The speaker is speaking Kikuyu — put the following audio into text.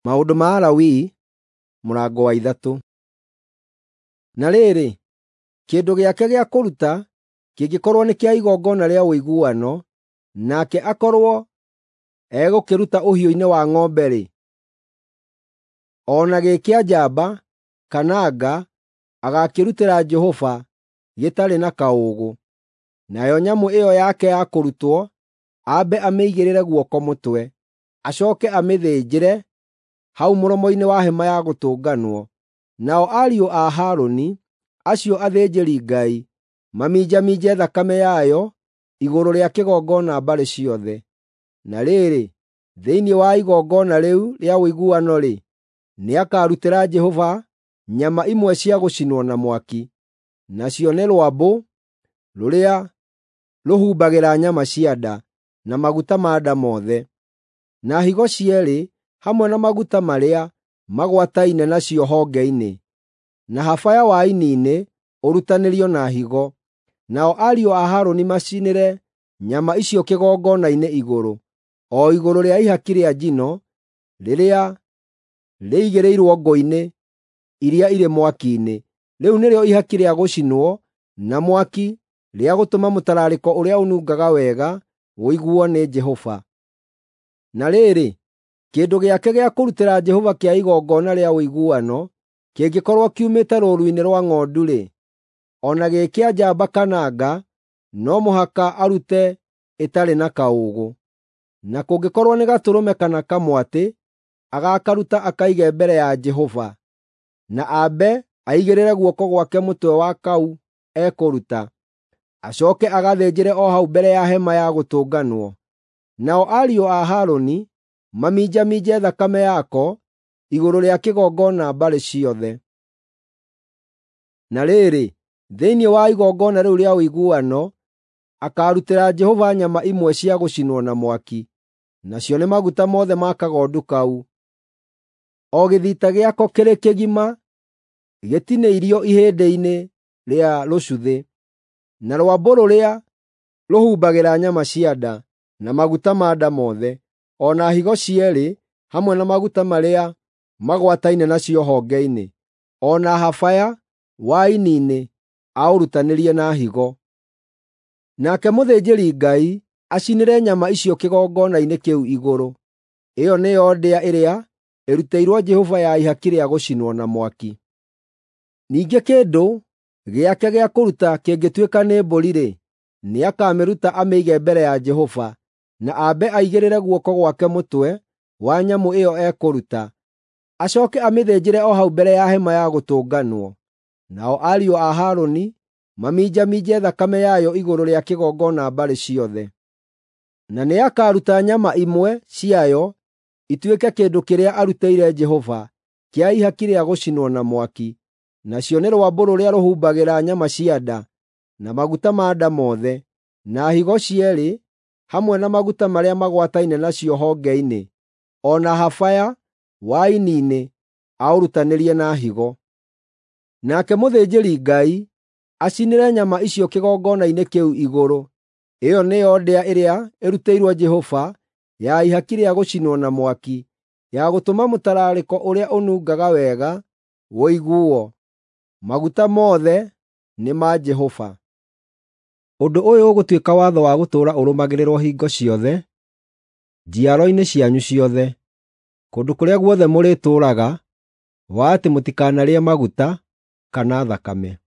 Maũndũ ma Alawii mũrango wa 3. Na rĩrĩ, kĩndũ gĩake gĩa kũruta kĩngĩkorwo nĩ kĩa igongona rĩa ũiguano, nake akorwo egũkĩruta ũhiũ-inĩ wa ng'ombe-rĩ, o na gĩ kĩa njamba kana nga, agakĩrutĩra Jehova gĩtarĩ na kaũũgũ. Nayo nyamũ ĩyo yake ya kũrutwo ambe amĩigĩrĩre guoko mũtwe, acooke amĩthĩnjĩre hau mũromo-inĩ wa Hema-ya-Gũtũnganwo. Nao ariũ a Harũni, acio athĩnjĩri-Ngai, maminjaminje thakame yayo igũrũ rĩa kĩgongona mbarĩ ciothe. Na rĩrĩ, thĩinĩ wa igongona rĩu rĩa ũiguano-rĩ, nĩakarutĩra Jehova nyama imwe cia gũcinwo na mwaki, nacio nĩ rwambũ rũrĩa rũhumbagĩra nyama cia nda, na maguta ma nda mothe, na higo cierĩ hamwe na maguta marĩa magwataine nacio honge-inĩ, na habaya wa ini-inĩ ũrutanĩrio na higo. Nao ariũ a Harũni macinĩre nyama icio kĩgongona-inĩ igũrũ, o igũrũ rĩa ihaki rĩa njino rĩrĩa rĩigĩrĩirwo ngũ-inĩ iria irĩ mwaki-inĩ. Rĩu nĩrĩo ihaki rĩa gũcinwo na mwaki rĩa gũtũma mũtararĩko ũrĩa ũnungaga wega ũiguo nĩ Jehova. Na rĩrĩ, kĩndũ gĩake gĩa kũrutĩra Jehova kĩa igongona rĩa ũiguano kĩngĩkorwo kiumĩte rũũru-inĩ rwa ng'ondu-rĩ, o na gĩ kĩa njamba kana nga, no mũhaka arute ĩtarĩ na kaũũgũ. Na kũngĩkorwo nĩ gatũrũme kana kamwatĩ, agakaruta akaige mbere ya Jehova, na ambe aigĩrĩre guoko gwake mũtwe wa kau ekũruta, acooke agathĩnjĩre o hau mbere ya Hema-ya-Gũtũnganwo. Nao ariũ a Harũni maminjaminje thakame yako igũrũ rĩa kĩgongona mbarĩ ciothe. Na rĩrĩ, thĩinĩ wa igongona rĩu rĩa ũiguano, akaarutĩra Jehova nyama imwe cia gũcinwo na mwaki, nacio nĩ maguta mothe ma kagondu kau, o gĩthita gĩako kĩrĩ kĩgima gĩtinĩirio ihĩndĩ-inĩ rĩa rũcuthĩ, na rwambũ rũrĩa rũhumbagĩra nyama cia nda, na maguta ma nda mothe, o na higo cierĩ hamwe na maguta marĩa magwataine nacio honge-inĩ, o na habaya wa ini-inĩ aũrutanĩrie na higo. Nake mũthĩnjĩri-Ngai acinĩre nyama icio kĩgongona-inĩ kĩu igũrũ. Ĩyo nĩyo ndĩa ĩrĩa ĩrutĩirwo Jehova ya ihaki rĩa gũcinwo na mwaki. Ningĩ kĩndũ gĩake gĩa kũruta kĩngĩtuĩka nĩ mbũri-rĩ, nĩakamĩruta amĩige mbere ya Jehova, na ambe aigĩrĩre guoko gwake mũtwe wa nyamũ ĩyo ekũruta, acooke amĩthĩnjĩre o hau mbere ya Hema-ya-Gũtũnganwo. Nao ariũ a Harũni maminjaminje thakame yayo igũrũ rĩa kĩgongona mbarĩ ciothe. Na nĩakaruta nyama imwe ciayo ituĩke kĩndũ kĩrĩa arutĩire Jehova kĩa ihaki rĩa gũcinwo na mwaki, nacio nĩ rwambũ rũrĩa rũhumbagĩra nyama cia nda, na maguta ma nda mothe, na higo cierĩ hamwe na maguta marĩa magwataine nacio honge-inĩ, o na habaya wa ini-inĩ aũrutanĩrie na higo. Nake mũthĩnjĩri-Ngai acinĩre nyama icio kĩgongona-inĩ kĩu igũrũ. Ĩyo nĩyo ndĩa ĩrĩa ĩrutĩirwo Jehova ya ihaki rĩa gũcinwo na mwaki, ya gũtũma mũtararĩko ũrĩa ũnungaga wega ũiguo. Maguta mothe nĩ ma Jehova. Ũndũ ũyũ ũgũtuĩka watho wa gũtũũra ũrũmagĩrĩrwo hingo ciothe njiaro-inĩ cianyu ciothe, kũndũ kũrĩa guothe mũrĩtũũraga, wa atĩ mũtikanarĩe maguta kana thakame.